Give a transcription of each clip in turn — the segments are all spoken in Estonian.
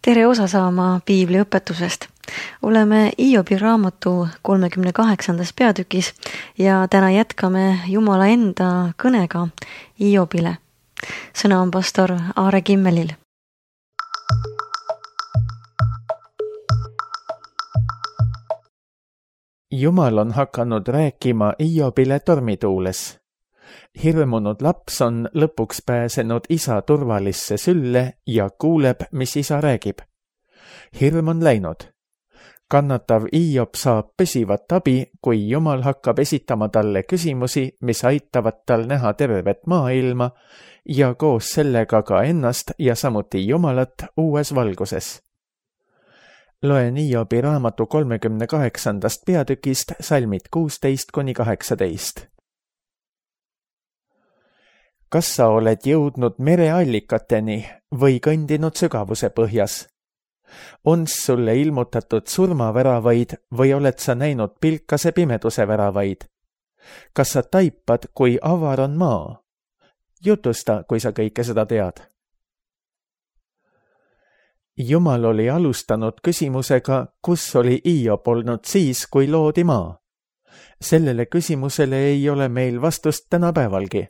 Tere osa saama Piibli õpetusest. Oleme Hiobi raamatu 38. peatükis ja täna jätkame Jumala enda kõnega Hiobile. Sõna on pastor Aare Kimmelil. Jumal on hakanud rääkima Hiobile tormituules. Hirmunud laps on lõpuks pääsenud isa turvalisse sülle ja kuuleb, mis isa räägib. Hirm on läinud. Kannatav Hiob saab püsivat abi, kui Jumal hakkab esitama talle küsimusi, mis aitavad tal näha tervet maailma ja koos sellega ka ennast ja samuti Jumalat uues valguses. Loen Hiobi raamatu 38. peatükist salmid 16-18. Kas sa oled jõudnud mereallikateni või kõndinud sügavuse põhjas? On sulle ilmutatud surmaväravaid või oled sa näinud pilkase pimeduse väravaid? Kas sa taipad, kui avar on maa? Jutusta, kui sa kõike seda tead. Jumal oli alustanud küsimusega, kus oli Hiob olnud siis, kui loodi maa. Sellele küsimusele ei ole meil vastust tänapäevalgi.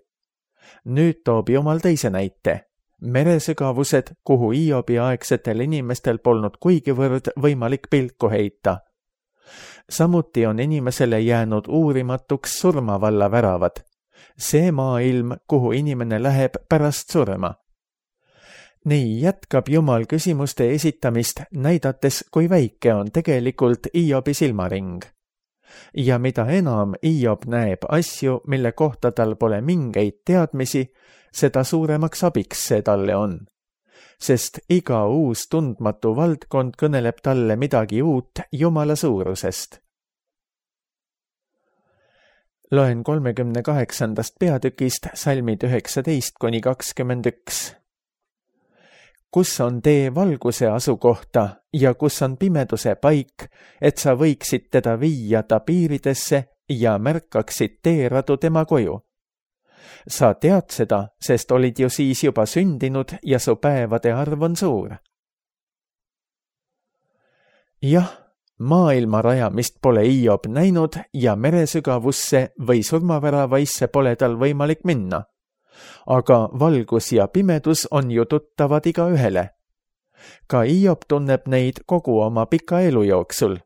Nüüd toob Jumal teise näite. Meresügavused, kuhu Hiobi aegsetel inimestel polnud kuigivõrd võimalik pilku heita. Samuti on inimesele jäänud uurimatuks surmavalla väravad. See maailm, kuhu inimene läheb pärast surma. Nii jätkab Jumal küsimuste esitamist, näidates, kui väike on tegelikult Hiobi silmaring. Ja mida enam Hiob näeb asju, mille kohta tal pole mingeid teadmisi, seda suuremaks abiks see talle on. Sest iga uus tundmatu valdkond kõneleb talle midagi uut Jumala suurusest. Loen 38. peatükist salmid 19-21. Kus on tee valguse asukohta ja kus on pimeduse paik, et sa võiksid teda viia ta piiridesse ja märkaksid teeradu tema koju? Sa tead seda, sest olid ju siis juba sündinud ja su päevade arv on suur. Jah, maailma rajamist pole Hiob näinud ja meresügavusse või surmaväravaisse pole tal võimalik minna. Aga valgus ja pimedus on ju tuttavad igaühele. Ka Hiob tunneb neid kogu oma pika elu jooksul.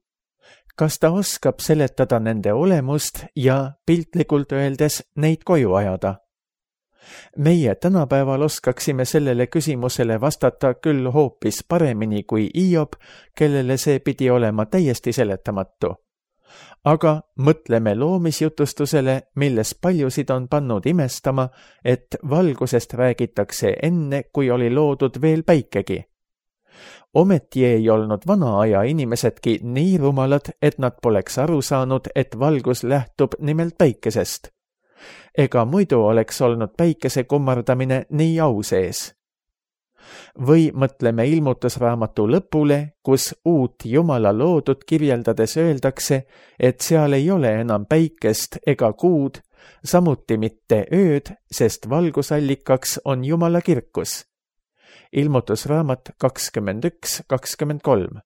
Kas ta oskab seletada nende olemust ja piltlikult öeldes neid koju ajada? Meie tänapäeval oskaksime sellele küsimusele vastata küll hoopis paremini kui Hiob, kellele see pidi olema täiesti seletamatu. Aga mõtleme loomisjutustusele, milles paljusid on pannud imestama, et valgusest räägitakse enne, kui oli loodud veel päikegi. Ometi ei olnud vana aja inimesedki nii rumalad, et nad poleks aru saanud, et valgus lähtub nimelt päikesest. Ega muidu oleks olnud päikese kummardamine nii au sees. Või mõtleme ilmutusraamatu lõpule, kus uut Jumala loodut kirjeldades öeldakse, et seal ei ole enam päikest ega kuud, samuti mitte ööd, sest valgusallikaks on Jumala kirkus. Ilmutusraamat 21-23.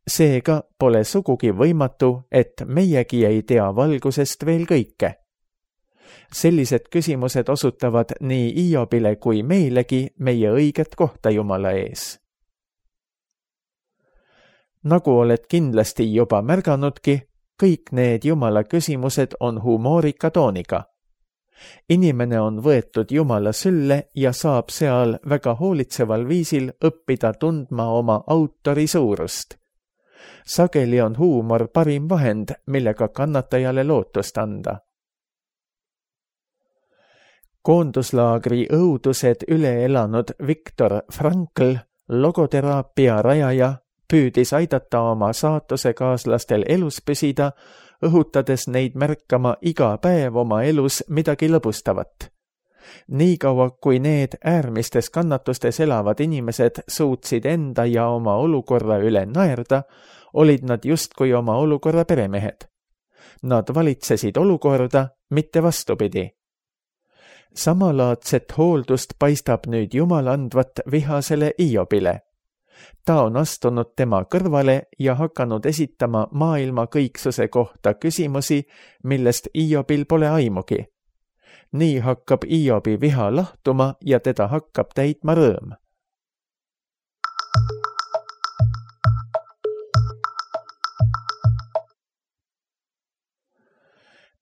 Seega pole sugugi võimatu, et meiegi ei tea valgusest veel kõike. Sellised küsimused osutavad nii Hiobile kui meilegi meie õiget kohta Jumala ees. Nagu oled kindlasti juba märganudki, kõik need Jumala küsimused on humoorika tooniga. Inimene on võetud Jumala sülle ja saab seal väga hoolitseval viisil õppida tundma oma autori suurust. Sageli on huumor parim vahend, millega kannatajale lootust anda. Koonduslaagri õudused üle elanud Viktor Frankl, logoteraapia rajaja, püüdis aidata oma saatusekaalastel elus püsida, õhutades neid märkama iga päev oma elus midagi lõbustavat. Niikaua, kui need äärmistes kannatustes elavad inimesed suutsid enda ja oma olukorra üle naerda, olid nad justkui oma olukorra peremehed. Nad valitsesid olukorda, mitte vastupidi. Samalaadset hooldust paistab nüüd Jumal andvat vihasele Hiobile. Ta on astunud tema kõrvale ja hakanud esitama maailma kõiksuse kohta küsimusi, millest Iobil pole aimugi. Nii hakkab Iobi viha lahtuma ja teda hakkab täitma rõõm.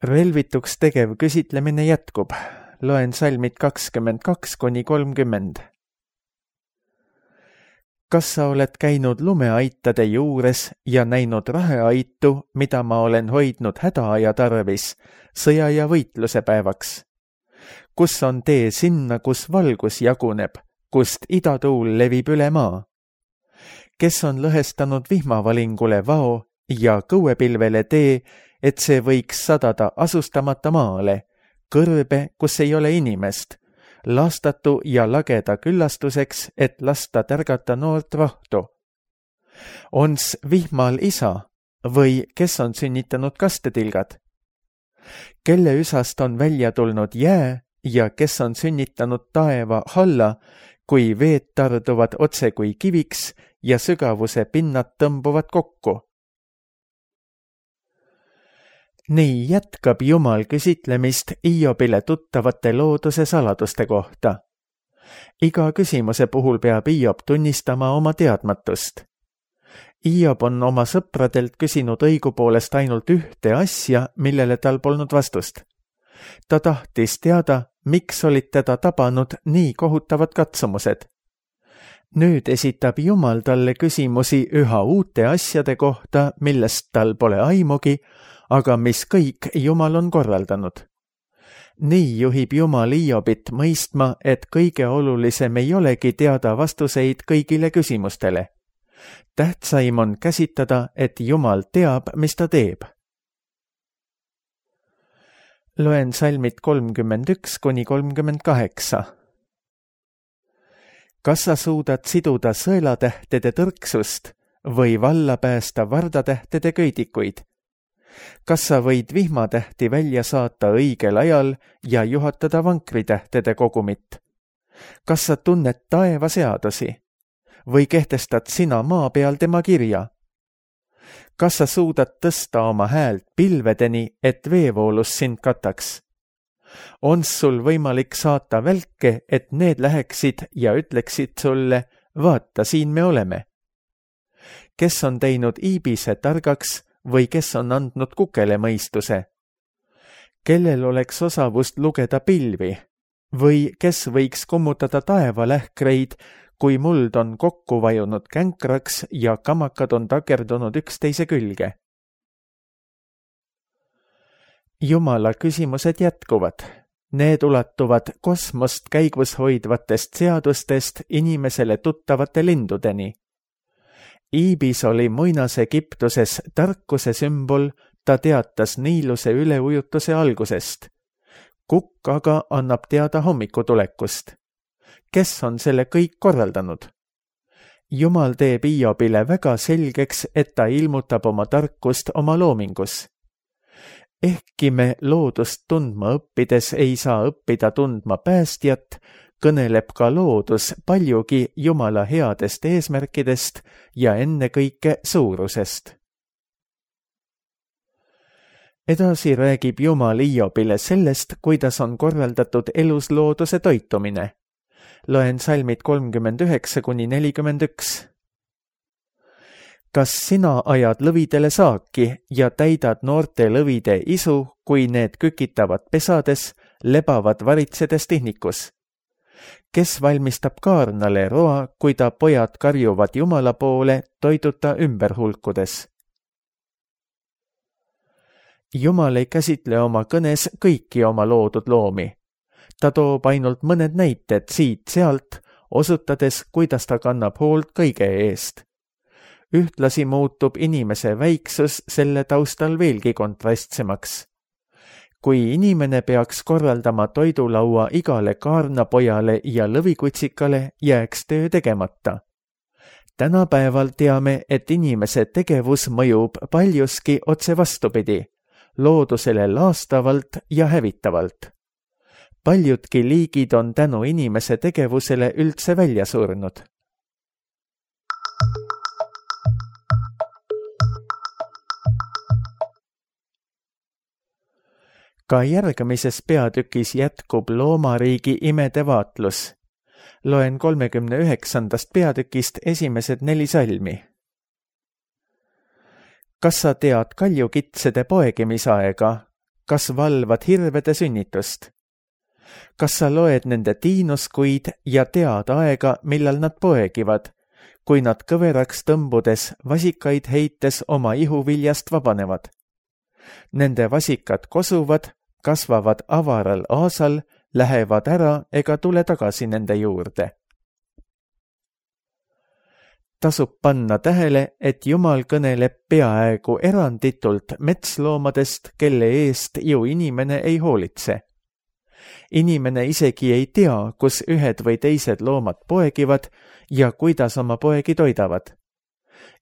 Relvituks tegev küsitlemine jätkub. Loen salmid 22–30. Kas sa oled käinud lumeaitade juures ja näinud raheaitu, mida ma olen hoidnud hädaaja tarvis, sõja ja võitluse päevaks? Kus on tee sinna, kus valgus jaguneb, kust idatuul levib üle maa? Kes on lõhestanud vihmavalingule vao ja kõuepilvele tee, et see võiks sadada asustamata maale, kõrbe, kus ei ole inimest, lastatu ja lageda küllastuseks, et lasta tärgata noort rohtu? Ons vihmal isa või kes on sünnitanud kastetilgad? Kelle üsast on välja tulnud jää ja kes on sünnitanud taeva halla, kui veed tarduvad otse kui kiviks ja sügavuse pinnad tõmbuvad kokku? Nii jätkab Jumal küsitlemist Iobile tuttavate looduse saladuste kohta. Iga küsimuse puhul peab Iob tunnistama oma teadmatust. Iob on oma sõpradelt küsinud õigupoolest ainult ühte asja, millele tal polnud vastust. Ta tahtis teada, miks olid teda tabanud nii kohutavad katsumused. Nüüd esitab Jumal talle küsimusi üha uute asjade kohta, millest tal pole aimugi, aga mis kõik Jumal on korraldanud. Nii juhib Jumal Iobit mõistma, et kõige olulisem ei olegi teada vastuseid kõigile küsimustele. Tähtsaim on käsitada, et Jumal teab, mis ta teeb. Loen salmid 31–38. Kas sa suudad siduda sõelatähtede tõrksust või valla päästa vardatähtede köidikuid? Kas sa võid vihmatähti välja saata õigel ajal ja juhatada vankritähtede kogumit? Kas sa tunned taeva seadusi? Või kehtestad sina maa peal tema kirja? Kas sa suudad tõsta oma häält pilvedeni, et veevoolus sind kataks? On sul võimalik saata välke, et need läheksid ja ütleksid sulle, vaata, siin me oleme? Kes on teinud iibise targaks või kes on andnud kukele mõistuse? Kellel oleks osavust lugeda pilvi? Või kes võiks kummutada taevalähkreid, kui muld on kokku vajunud känkraks ja kamakad on takerdunud üksteise külge? Jumala küsimused jätkuvad. Need ulatuvad kosmost käigus hoidvatest seadustest inimesele tuttavate lindudeni. Iibis oli Muinas-Egiptuses tarkuse sümbol, ta teatas Niiluse üleujutuse algusest. Kukk aga annab teada hommikutulekust. Kes on selle kõik korraldanud? Jumal teeb Iobile väga selgeks, et ta ilmutab oma tarkust oma loomingus. Ehkki me loodust tundma õppides ei saa õppida tundma päästjat, kõneleb ka loodus paljugi Jumala headest eesmärkidest ja ennekõike suurusest. Edasi räägib Jumal Iobile sellest, kuidas on korraldatud eluslooduse toitumine. Loen salmid 39–41. Kas sina ajad lõvidele saaki ja täidad noorte lõvide isu, kui need kükitavad pesades, lebavad varitsedes tihnikus? Kes valmistab kaarnale roa, kui ta pojad karjuvad Jumala poole toiduta ümber hulkudes? Jumal ei käsitle oma kõnes kõiki oma loodud loomi. Ta toob ainult mõned näited siit-sealt, osutades, kuidas ta kannab hoolt kõige eest. Ühtlasi muutub inimese väiksus selle taustal veelgi kontrastsemaks. Kui inimene peaks korraldama toidulaua igale kaarnapojale ja lõvikutsikale, jääks töö tegemata. Tänapäeval teame, et inimese tegevus mõjub paljuski otse vastupidi, loodusele laastavalt ja hävitavalt. Paljudki liigid on tänu inimese tegevusele üldse välja surnud. Ka järgmises peatükis jätkub loomariigi imede vaatlus. Loen 39. peatükist esimesed 4 salmi. Kas sa tead kaljukitsede poegimisaega? Kas valvad hirvede sünnitust? Kas sa loed nende tiinuskuid ja tead aega, millal nad poegivad, kui nad kõveraks tõmbudes, vasikaid heites oma ihuviljast vabanevad? Nende vasikad kosuvad, kasvavad avaral aasal, lähevad ära ega tule tagasi nende juurde. Tasub panna tähele, et Jumal kõneleb peaaegu eranditult metsloomadest, kelle eest ju inimene ei hoolitse. Inimene isegi ei tea, kus ühed või teised loomad poegivad ja kuidas oma poegi toidavad.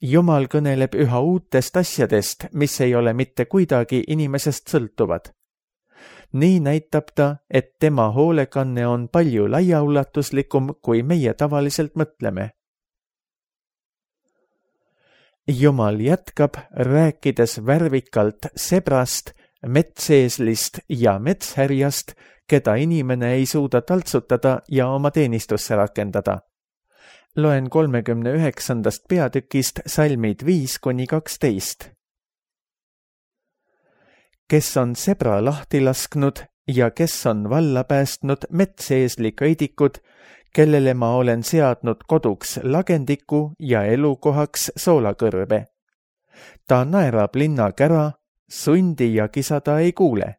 Jumal kõneleb üha uutest asjadest, mis ei ole mitte kuidagi inimesest sõltuvad. Nii näitab ta, et tema hoolekanne on palju laiaulatuslikum, kui meie tavaliselt mõtleme. Jumal jätkab, rääkides värvikalt sebrast, metseeslist ja metshärjast, keda inimene ei suuda taltsutada ja oma teenistusse rakendada. Loen 39. peatükist salmid 5-12. Kes on sebra lahti lasknud ja kes on valla päästnud metseesli köidikud, kellele ma olen seadnud koduks lagendiku ja elukohaks soolakõrbe. Ta naerab linna kära, sundi ja kisa ta ei kuule.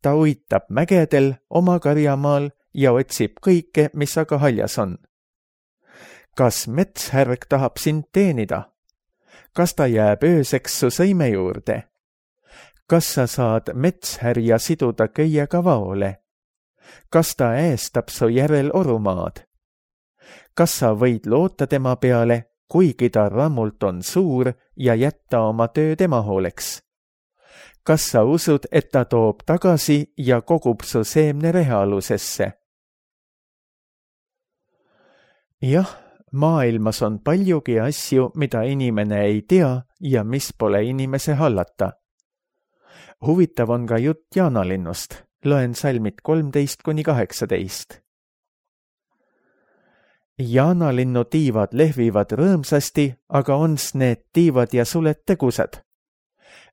Ta uitab mägedel oma karjamaal ja otsib kõike, mis aga haljas on. Kas metshärg tahab sind teenida? Kas ta jääb ööseks su sõime juurde? Kas sa saad metshärja siduda köiega vaole? Kas ta äästab su järel orumaad? Kas sa võid loota tema peale, kuigi ta rammult on suur ja jätta oma töö tema hooleks? Kas sa usud, et ta toob tagasi ja kogub su seemne rehealusesse? Jah, maailmas on paljugi asju, mida inimene ei tea ja mis pole inimese hallata. Huvitav on ka jutt jaanalinnust. Loen salmid 13-18. Jaanalinnu tiivad lehvivad rõõmsasti, aga ons need tiivad ja suled tegusad.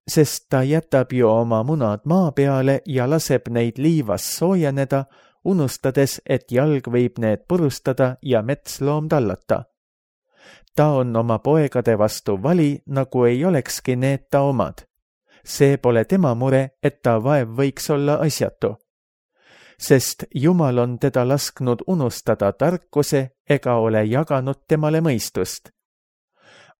Sest ta jätab ju oma munad maa peale ja laseb neid liivas soojeneda, unustades, et jalg võib need purustada ja metsloom tallata. Ta on oma poegade vastu vali, nagu ei olekski need ta omad. See pole tema mure, et ta vaev võiks olla asjatu. Sest Jumal on teda lasknud unustada tarkuse ega ole jaganud temale mõistust.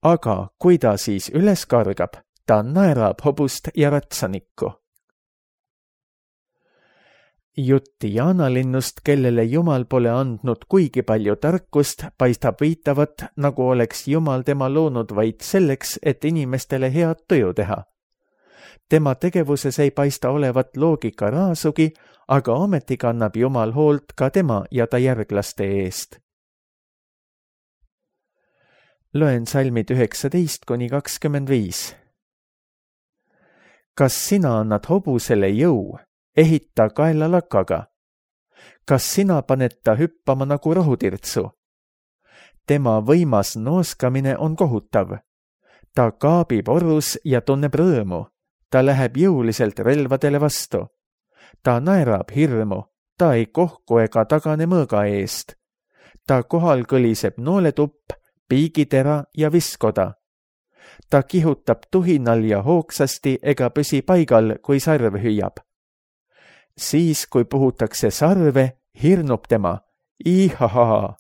Aga kui ta siis üles kargab, ta naerab hobust ja ratsanikku. Jutt jaanalinnust, kellele Jumal pole andnud kuigi palju tarkust, paistab viitavat, nagu oleks Jumal tema loonud vaid selleks, et inimestele head tuju teha. Tema tegevuses ei paista olevat loogika raasugi, aga ometi kannab Jumal hoolt ka tema ja ta järglaste eest. Loen salmid 19-25. Kas sina annad hobusele jõu, ehita kaela lakaga? Kas sina paned ta hüppama nagu rohutirtsu? Tema võimas nooskamine on kohutav. Ta kaabib orus ja tunneb rõõmu. Ta läheb jõuliselt relvadele vastu. Ta naerab hirmu, ta ei kohku ega tagane mõõga eest. Ta kohal kõliseb nooletupp, piigitera ja viskoda. Ta kihutab tuhinal ja hoogsasti ega püsi paigal, kui sarv hüüab. Siis, kui puhutakse sarve, hirnub tema. Ihahaa!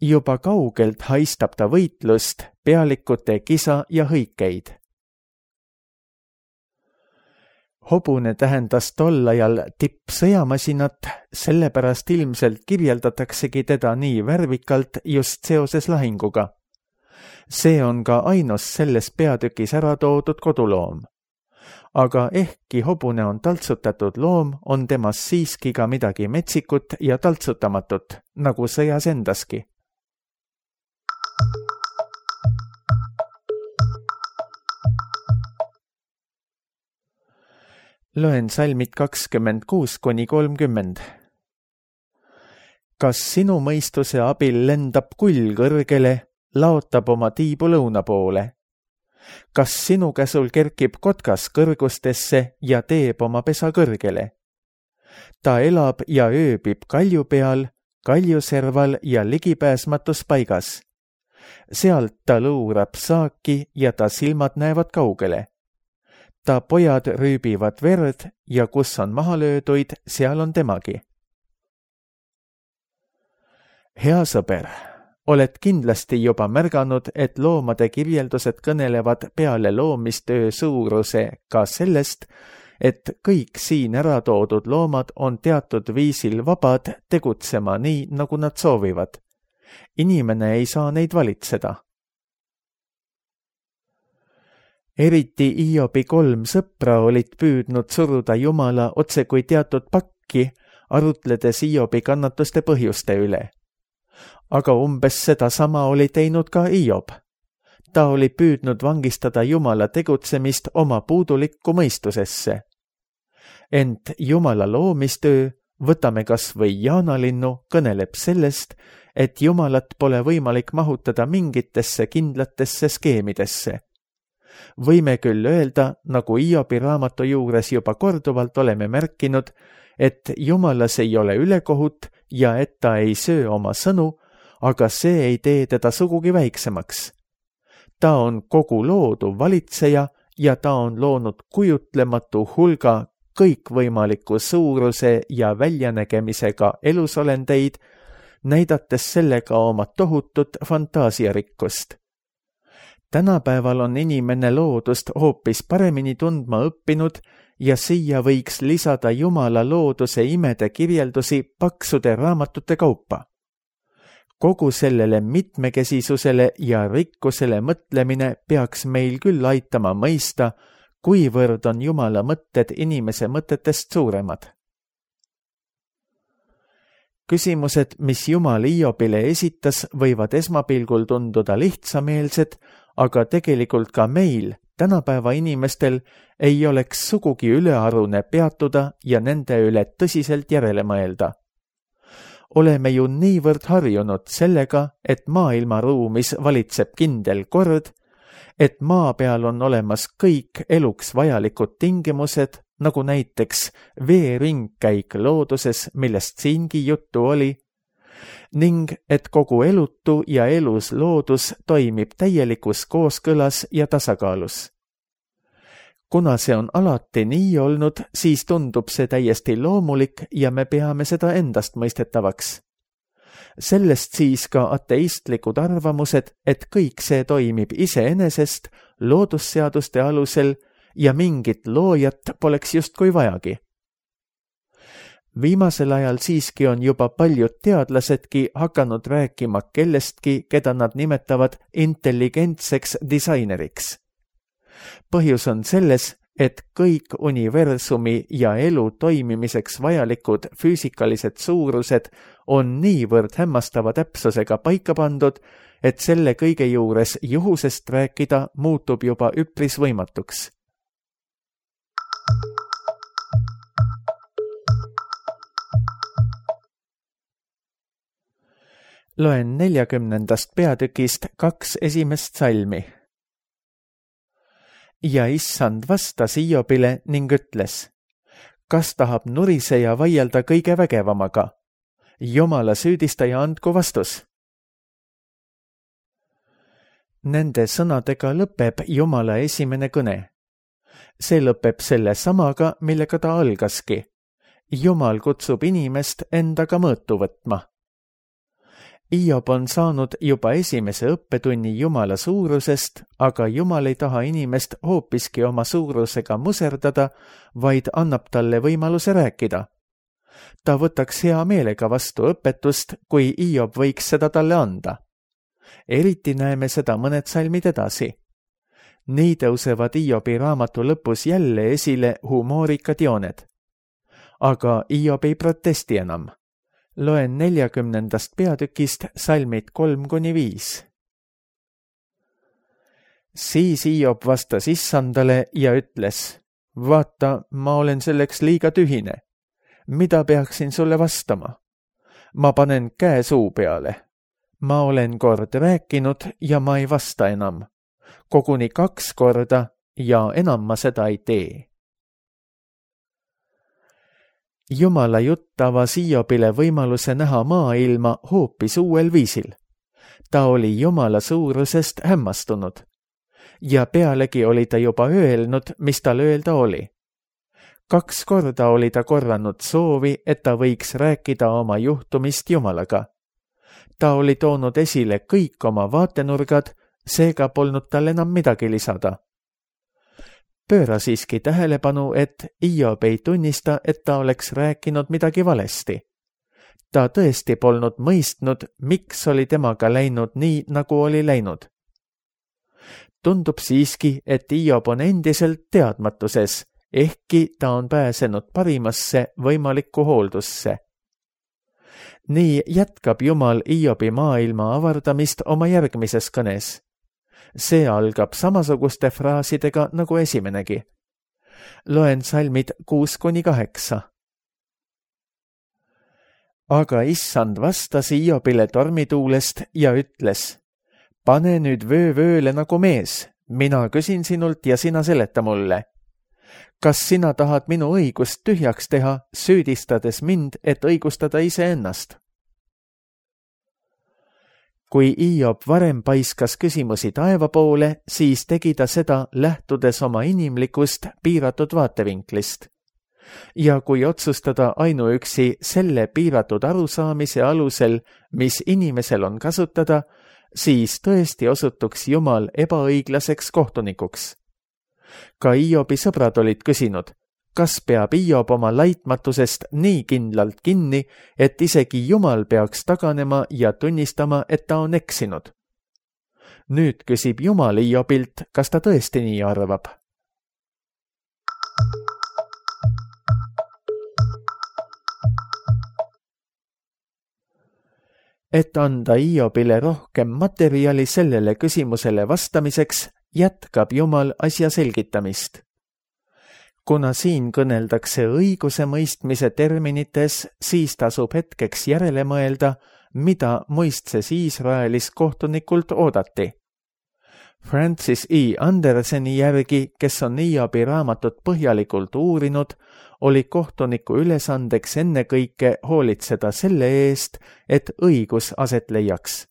Juba kaugelt haistab ta võitlust, pealikute kisa ja hõikeid. Hobune tähendas tol ajal tippsõjamasinat, sellepärast ilmselt kirjeldataksegi teda nii värvikalt just seoses lahinguga. See on ka ainus selles peatükis ära toodud koduloom. Aga ehkki hobune on taltsutatud loom, on temas siiski ka midagi metsikut ja taltsutamatut, nagu sõjas endaski. Loen salmid 26–30. Kas sinu mõistuse abil lendab kull kõrgele, laotab oma tiibu lõuna poole? Kas sinu käsul kerkib kotkas kõrgustesse ja teeb oma pesa kõrgele? Ta elab ja ööbib kalju peal, kaljuserval ja ligipääsmatus paigas. Sealt ta luurab saaki ja ta silmad näevad kaugele. Ta pojad rüübivad verd ja kus on maha lööduid, seal on temagi. Hea sõber, oled kindlasti juba märganud, et loomade kirjeldused kõnelevad peale loomistöö suuruse ka sellest, et kõik siin ära toodud loomad on teatud viisil vabad tegutsema nii, nagu nad soovivad. Inimene ei saa neid valitseda. Eriti Hiobi 3 sõpra olid püüdnud suruda Jumala otse kui teatud pakki, arutledes Hiobi kannatuste põhjuste üle. Aga umbes sedasama oli teinud ka Hiob. Ta oli püüdnud vangistada Jumala tegutsemist oma puudulikku mõistusesse. Ent Jumala loomistöö, võtame kas või jaanalinnu, kõneleb sellest, et Jumalat pole võimalik mahutada mingitesse kindlatesse skeemidesse. Võime küll öelda, nagu Hiobi raamatu juures juba korduvalt oleme märkinud, et Jumalas ei ole ülekohut ja et ta ei söö oma sõnu, aga see ei tee teda sugugi väiksemaks. Ta on kogu loodu valitseja ja ta on loonud kujutlematu hulga kõikvõimaliku suuruse ja väljanägemisega elusolendeid, näidates sellega oma tohutut fantaasiarikkust. Tänapäeval on inimene loodust hoopis paremini tundma õppinud ja siia võiks lisada Jumala looduse imede kirjeldusi paksude raamatute kaupa. Kogu sellele mitmekesisusele ja rikkusele mõtlemine peaks meil küll aitama mõista, kuivõrd on Jumala mõtted inimese mõtetest suuremad. Küsimused, mis Jumal Hiobile esitas, võivad esmapilgul tunduda lihtsameelsed, aga tegelikult ka meil, tänapäeva inimestel, ei oleks sugugi ülearune peatuda ja nende üle tõsiselt järele mõelda. Oleme ju niivõrd harjunud sellega, et maailmaruumis valitseb kindel kord, et maa peal on olemas kõik eluks vajalikud tingimused, nagu näiteks veeringkäik looduses, millest siingi juttu oli, ning et kogu elutu ja elus loodus toimib täielikus kooskõlas ja tasakaalus. Kuna see on alati nii olnud, siis tundub see täiesti loomulik ja me peame seda endast mõistetavaks. Sellest siis ka ateistlikud arvamused, et kõik see toimib iseenesest loodusseaduste alusel ja mingit loojat poleks justkui vajagi. Viimasel ajal siiski on juba paljud teadlasedki hakanud rääkima kellestki, keda nad nimetavad intelligentseks disaineriks. Põhjus on selles, et kõik universumi ja elu toimimiseks vajalikud füüsikalised suurused on niivõrd hämmastava täpsusega paika pandud, et selle kõige juures juhusest rääkida muutub juba üpris võimatuks. Loen 40. peatükist 2 esimest salmi. Ja issand vastas Hiobile ning ütles, kas tahab nuriseja vaielda kõige vägevamaga? Jumala süüdistaja andku vastus. Nende sõnadega lõpeb Jumala esimene kõne. See lõpeb selle samaga, millega ta algaski. Jumal kutsub inimest endaga mõõtu võtma. Hiob on saanud juba esimese õppetunni Jumala suurusest, aga Jumal ei taha inimest hoopiski oma suurusega muserdada, vaid annab talle võimaluse rääkida. Ta võtaks hea meelega vastu õpetust, kui Hiob võiks seda talle anda. Eriti näeme seda mõned salmid edasi. Nii tõusevad Hiobi raamatu lõpus jälle esile humoorikad jooned. Aga Hiob ei protesti enam. Loen 40. peatükist salmid 3–5. Siis Hiob vastas issandale ja ütles, vaata, ma olen selleks liiga tühine. Mida peaksin sulle vastama? Ma panen käe suu peale. Ma olen kord rääkinud ja ma ei vasta enam. Koguni 2 korda ja enam ma seda ei tee. Jumala jutt avas Hiobile võimaluse näha maailma hoopis uuel viisil. Ta oli Jumala suurusest hämmastunud. Ja pealegi oli ta juba öelnud, mis tal öelda oli. 2 korda oli ta korranud soovi, et ta võiks rääkida oma juhtumist Jumalaga. Ta oli toonud esile kõik oma vaatenurgad, seega polnud tal enam midagi lisada. Pööra siiski tähelepanu, et Hiob ei tunnista, et ta oleks rääkinud midagi valesti. Ta tõesti polnud mõistnud, miks oli temaga läinud nii, nagu oli läinud. Tundub siiski, et Hiob on endiselt teadmatuses, ehkki ta on pääsenud parimasse võimalikku hooldusse. Nii jätkab Jumal Hiobi maailma avardamist oma järgmises kõnes. See algab samasuguste fraasidega nagu esimenegi. Loen salmid 6-8. Aga issand vastas Hiobile tormituulest ja ütles: pane nüüd vööle nagu mees, mina küsin sinult ja sina seleta mulle. Kas sina tahad minu õigust tühjaks teha, süüdistades mind, et õigustada iseennast? Kui Hiob varem paiskas küsimusi taeva poole, siis tegi ta seda lähtudes oma inimlikust piiratud vaatevinklist. Ja kui otsustada ainuüksi selle piiratud arusaamise alusel, mis inimesel on kasutada, siis tõesti osutuks Jumal ebaõiglaseks kohtunikuks. Ka Hiobi sõbrad olid küsinud, kas peab Hiob oma laitmatusest nii kindlalt kinni, et isegi Jumal peaks taganema ja tunnistama, et ta on eksinud. Nüüd küsib Jumal Hiobilt, kas ta tõesti nii arvab. Et anda Hiobile rohkem materjali sellele küsimusele vastamiseks, jätkab Jumal asja selgitamist. Kuna siin kõneldakse õiguse mõistmise terminites, siis tasub hetkeks järele mõelda, mida muistses Iisraelis kohtunikult oodati. Francis E. Anderseni järgi, kes on Hiobi raamatut põhjalikult uurinud, oli kohtuniku ülesandeks ennekõike hoolitseda selle eest, et õigus aset leiaks.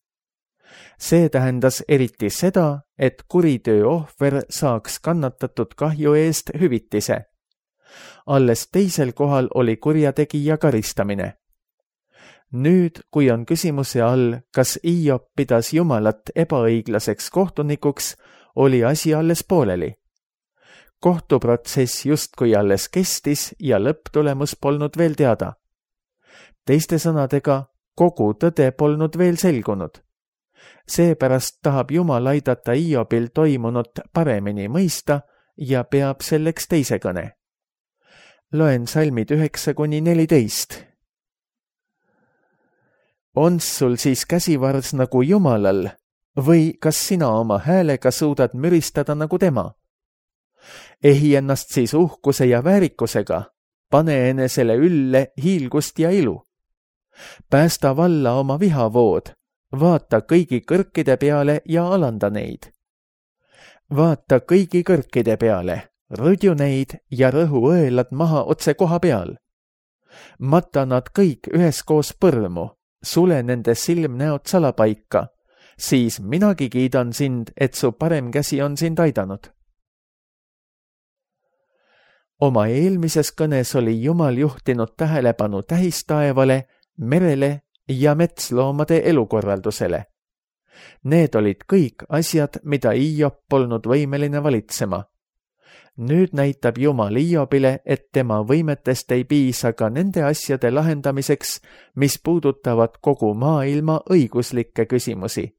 See tähendas eriti seda, et kuritöö ohver saaks kannatatud kahju eest hüvitise. Alles teisel kohal oli kurjategija karistamine. Nüüd, kui on küsimuse all, kas Hiob pidas Jumalat ebaõiglaseks kohtunikuks, oli asi alles pooleli. Kohtuprotsess justkui alles kestis ja lõpptulemus polnud veel teada. Teiste sõnadega, kogu tõde polnud veel selgunud. Seepärast tahab Jumal aidata Hiobil toimunut paremini mõista ja peab selleks teise kõne. Loen salmid 9-14. On sul siis käsivars nagu Jumalal või kas sina oma häälega suudad müristada nagu tema? Ehi ennast siis uhkuse ja väärikusega, pane enesele ülle hiilgust ja ilu. Päästa valla oma vihavood, vaata kõigi kõrkide peale ja alanda neid. Vaata kõigi kõrkide peale, rõdju neid ja rõhu õelad maha otse koha peal. Matta nad kõik üheskoos põrmu, sule nende silmnäod salapaika, siis minagi kiidan sind, et su parem käsi on sind aidanud. Oma eelmises kõnes oli Jumal juhtinud tähelepanu tähistaevale, merele ja metsloomade elukorraldusele. Need olid kõik asjad, mida Hiob polnud võimeline valitsema. Nüüd näitab Jumal Hiobile, et tema võimetest ei piisa ka nende asjade lahendamiseks, mis puudutavad kogu maailma õiguslikke küsimusi.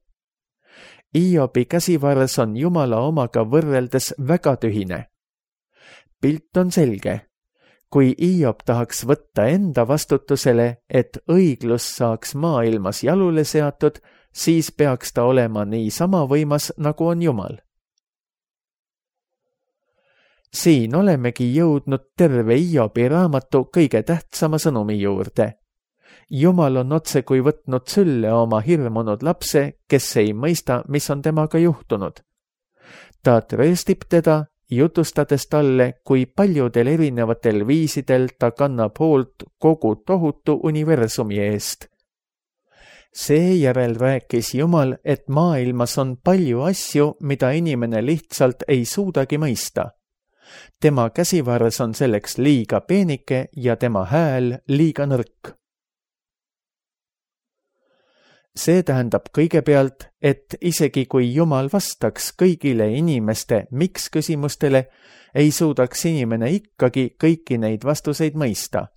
Hiobi käsivars on Jumala omaga võrreldes väga tühine. Pilt on selge. Kui Hiob tahaks võtta enda vastutusele, et õiglus saaks maailmas jalule seatud, siis peaks ta olema nii sama võimas, nagu on Jumal. Siin olemegi jõudnud terve Hiobi raamatu kõige tähtsama sõnumi juurde. Jumal on otse kui võtnud sülle oma hirmunud lapse, kes ei mõista, mis on temaga juhtunud. Ta trööstib teda, jutustades talle, kui paljudel erinevatel viisidel ta kannab hoolt kogu tohutu universumi eest. Seejärel rääkis Jumal, et maailmas on palju asju, mida inimene lihtsalt ei suudagi mõista. Tema käsivarres on selleks liiga peenike ja tema hääl liiga nõrk. See tähendab kõigepealt, et isegi kui Jumal vastaks kõigile inimeste miks küsimustele, ei suudaks inimene ikkagi kõiki neid vastuseid mõista.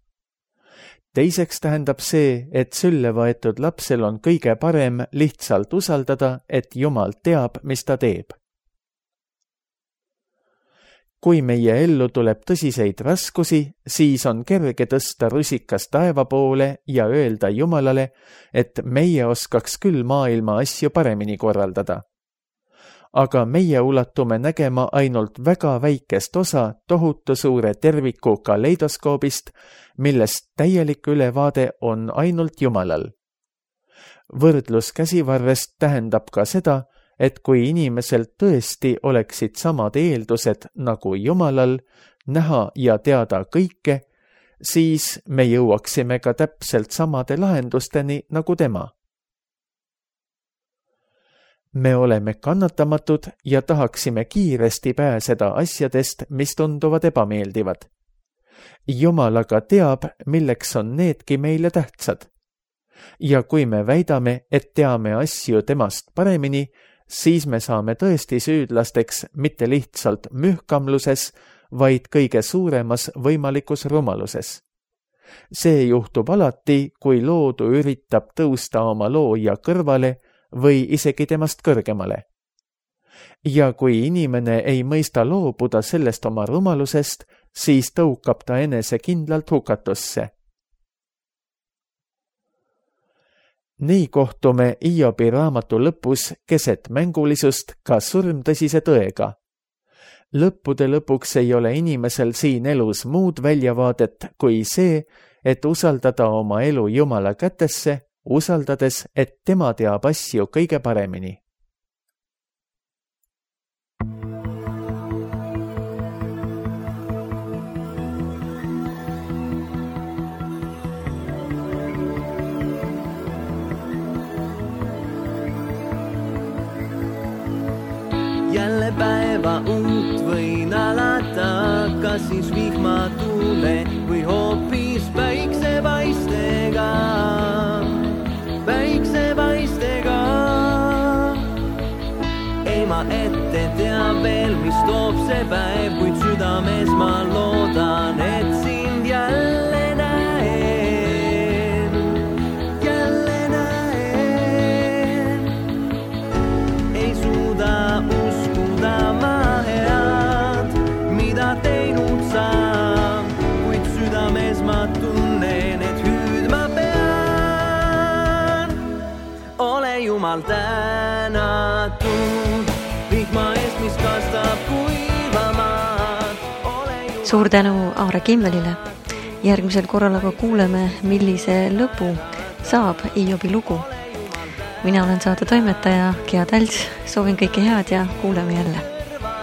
Teiseks tähendab see, et sülle võetud lapsel on kõige parem lihtsalt usaldada, et Jumal teab, mis ta teeb. Kui meie ellu tuleb tõsiseid raskusi, siis on kerge tõsta rusikas taeva poole ja öelda Jumalale, et meie oskaks küll maailma asju paremini korraldada. Aga meie ulatume nägema ainult väga väikest osa tohutu suure terviku kaleidoskoobist, millest täielik ülevaade on ainult Jumalal. Võrdlus käsivarrest tähendab ka seda, et kui inimesel tõesti oleksid samad eeldused nagu Jumalal, näha ja teada kõike, siis me jõuaksime ka täpselt samade lahendusteni nagu tema. Me oleme kannatamatud ja tahaksime kiiresti pääseda asjadest, mis tunduvad ebameeldivad. Jumal aga teab, milleks on needki meile tähtsad. Ja kui me väidame, et teame asju temast paremini, siis me saame tõesti süüdlasteks mitte lihtsalt mühkamluses, vaid kõige suuremas võimalikus rumaluses. See juhtub alati, kui loodu üritab tõusta oma looja kõrvale või isegi temast kõrgemale. Ja kui inimene ei mõista loobuda sellest oma rumalusest, siis tõukab ta enese kindlalt hukatusse. Nii kohtume Hiobi raamatu lõpus keset mängulisust ka surmtõsise tõega. Lõppude lõpuks ei ole inimesel siin elus muud väljavaadet kui see, et usaldada oma elu Jumala kätesse, usaldades, et tema teab asju kõige paremini. Jälle päeva uut võin alata, kas siis vihmatule või hoopis päiksepaistega. Ei ma ette tea veel, mis toob see päev, kuid südames ma loodan, et sind jälle näen. Ei suuda uskuda ma head, mida teinud saan, kuid südames ma tunnen, et hüüdma pean. Ole Jumal tänatud, vihma eest, mis kastab kuivamaad. Suur tänu Aare Kimmelile. Järgmisel korral aga kuuleme, millise lõpu saab Hiobi lugu. Mina olen saate toimetaja Gea Täls, soovin kõike head ja kuuleme jälle.